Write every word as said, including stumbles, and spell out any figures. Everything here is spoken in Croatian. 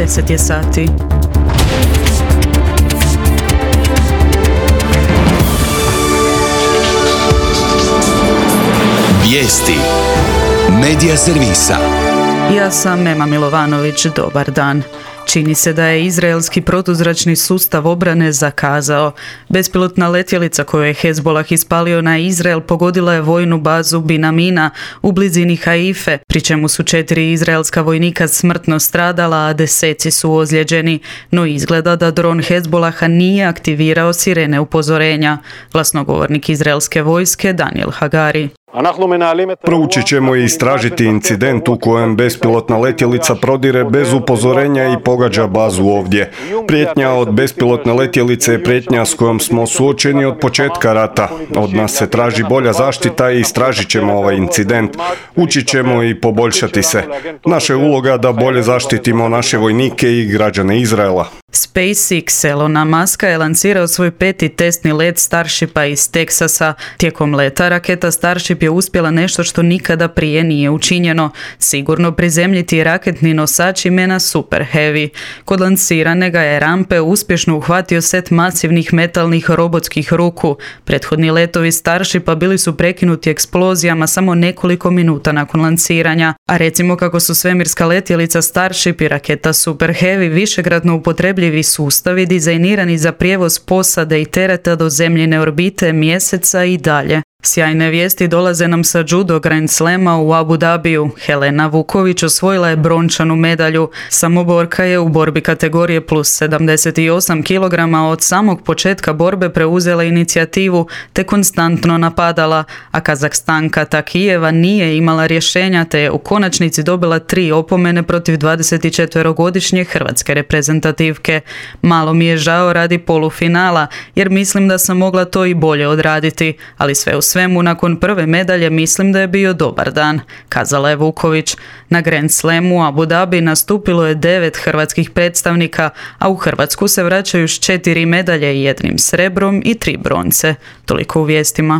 deset je sati. Vijesti Medija servisa. Ja sam Ema Milovanović, dobar dan. Čini se da je izraelski protuzračni sustav obrane zakazao. Bespilotna letjelica koju je Hezbolah ispalio na Izrael pogodila je vojnu bazu Binamina u blizini Haife, pri čemu su četiri izraelska vojnika smrtno stradala, a deseci su ozlijeđeni. No izgleda da dron Hezbolaha nije aktivirao sirene upozorenja. Glasnogovornik izraelske vojske Daniel Hagari. Proučit ćemo i istražiti incident u kojem bespilotna letjelica prodire bez upozorenja i pogađa bazu ovdje. Prijetnja od bespilotne letjelice je prijetnja s kojom smo suočeni od početka rata. Od nas se traži bolja zaštita i istražit ćemo ovaj incident. Učit ćemo i poboljšati se. Naša je uloga da bolje zaštitimo naše vojnike i građane Izraela. SpaceX Elona Muska je lansirao svoj peti testni let Starshipa iz Teksasa. Tijekom leta raketa Starship je uspjela nešto što nikada prije nije učinjeno, sigurno prizemljiti raketni nosač imena Super Heavy. Kod lansirane ga je rampe uspješno uhvatio set masivnih metalnih robotskih ruku. Prethodni letovi Starshipa bili su prekinuti eksplozijama samo nekoliko minuta nakon lansiranja, a recimo kako su svemirska letjelica Starship i raketa Super Heavy višekratno upotrebljivi sustavi dizajnirani za prijevoz posade i tereta do zemljine orbite, mjeseca i dalje. Sjajne vijesti dolaze nam sa judo Grand Slama u Abu Dhabiju. Helena Vuković osvojila je brončanu medalju. Samoborka je u borbi kategorije plus sedamdeset osam kilograma od samog početka borbe preuzela inicijativu te konstantno napadala, a Kazahstanka Takijeva nije imala rješenja te je u konačnici dobila tri opomene protiv dvadesetčetverogodišnje hrvatske reprezentativke. Malo mi je žao radi polufinala, jer mislim da sam mogla to i bolje odraditi, ali sve u svemu nakon prve medalje mislim da je bio dobar dan, kazala je Vuković. Na Grand Slamu u Abu Dhabi nastupilo je devet hrvatskih predstavnika, a u Hrvatsku se vraćaju s četiri medalje, jednim srebrom i tri bronce. Toliko u vijestima.